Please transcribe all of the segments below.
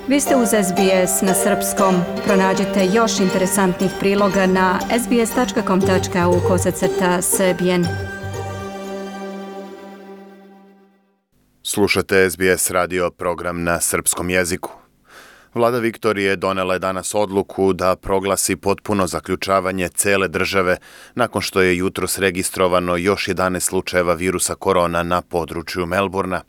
Vi ste uz SBS na srpskom. Pronađite još interesantnih priloga na sbs.com.au/srbijen. Slušate SBS radio program na srpskom jeziku. Vlada Viktorije donela je danas odluku da proglasi potpuno zaključavanje cele države nakon što je jutros registrovano još 11 slučajeva virusa korona na području Melbourna.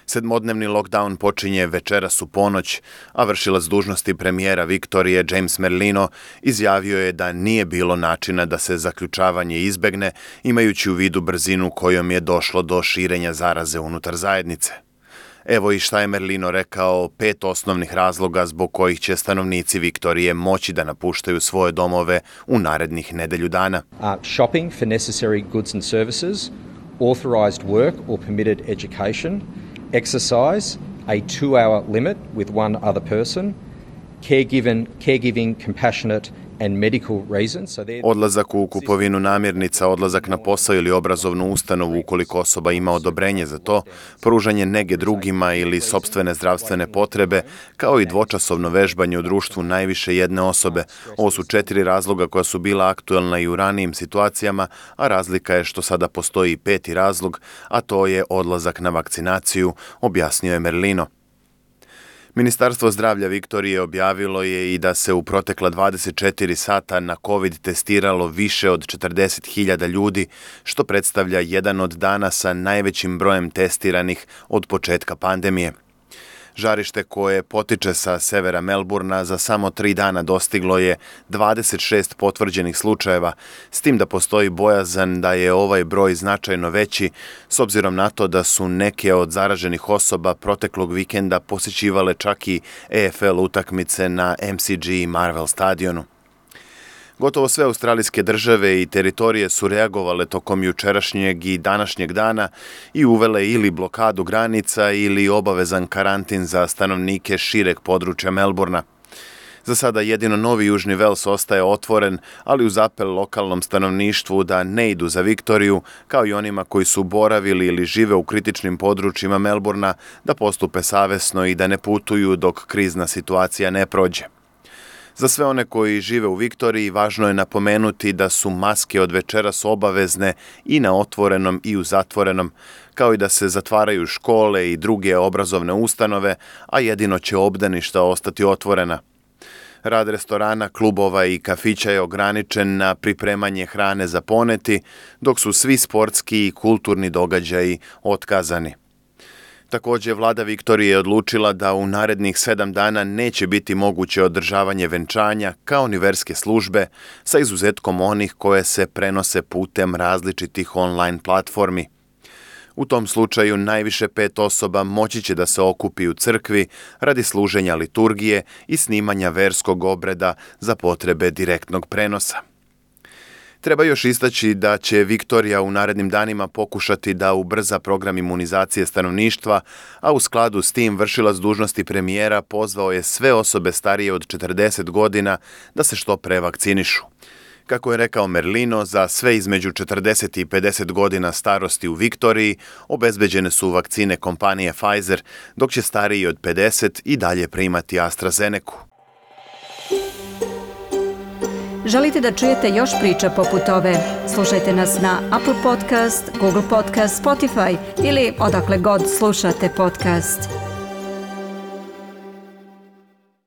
7-dnevni lockdown počinje večeras u ponoć, a vršilac dužnosti premijera Viktorije James Merlino izjavio je da nije bilo načina da se zaključavanje izbegne, imajući u vidu brzinu kojom je došlo do širenja zaraze unutar zajednice. Evo i šta je Merlino rekao 5 osnovnih razloga zbog kojih će stanovnici Viktorije moći da napuštaju svoje domove u narednih nedelju dana. Shopping for necessary goods and services, authorized work or permitted education, exercise, a 2-hour limit with one other person, caregiving, compassionate and medical reasons. Odlazak u kupovinu namirnica, odlazak na posao ili obrazovnu ustanovu ukoliko osoba ima odobrenje za to, pružanje nege drugima ili sopstvene zdravstvene potrebe, kao i dvočasovno vežbanje u društvu najviše jedne osobe. Ovo su 4 razloga koja su bila aktuelna i u ranijim situacijama, a razlika je što sada postoji i 5. razlog, a to je odlazak na vakcinaciju, objasnio je Merlino. Ministarstvo zdravlja Viktorije objavilo je i da se u protekla 24 sata na COVID testiralo više od 40.000 ljudi, što predstavlja jedan od dana sa najvećim brojem testiranih od početka pandemije. Žarište koje potiče sa severa Melbourna za samo 3 dana dostiglo je 26 potvrđenih slučajeva, s tim da postoji bojazan da je ovaj broj značajno veći, s obzirom na to da su neke od zaraženih osoba proteklog vikenda posjećivale čak i AFL utakmice na MCG i Marvel stadionu. Gotovo sve australijske države i teritorije su reagovale tokom jučerašnjeg i današnjeg dana i uvele ili blokadu granica ili obavezan karantin za stanovnike šireg područja Melbourna. Za sada jedino Novi Južni Vels ostaje otvoren, ali uz apel lokalnom stanovništvu da ne idu za Viktoriju, kao i onima koji su boravili ili žive u kritičnim područjima Melbourna, da postupe savesno i da ne putuju dok krizna situacija ne prođe. Za sve one koji žive u Viktoriji važno je napomenuti da su maske od večeras obavezne i na otvorenom i u zatvorenom, kao i da se zatvaraju škole i druge obrazovne ustanove, a jedino će obdaništa ostati otvorena. Rad restorana, klubova i kafića je ograničen na pripremanje hrane za poneti, dok su svi sportski i kulturni događaji otkazani. Također, vlada Viktorije je odlučila da u narednih 7 dana neće biti moguće održavanje venčanja kao ni verske službe, sa izuzetkom onih koje se prenose putem različitih online platformi. U tom slučaju najviše 5 osoba moći će da se okupi u crkvi radi služenja liturgije i snimanja verskog obreda za potrebe direktnog prenosa. Treba još istaći da će Viktorija u narednim danima pokušati da ubrza program imunizacije stanovništva, a u skladu s tim vršilac dužnosti premijera pozvao je sve osobe starije od 40 godina da se što pre vakcinišu. Kako je rekao Merlino, za sve između 40 i 50 godina starosti u Viktoriji obezbeđene su vakcine kompanije Pfizer, dok će stariji od 50 i dalje primati AstraZenecu. Želite da čujete još priča poput ove? Slušajte nas na Apple Podcast, Google Podcast, Spotify ili odakle god slušate podcast.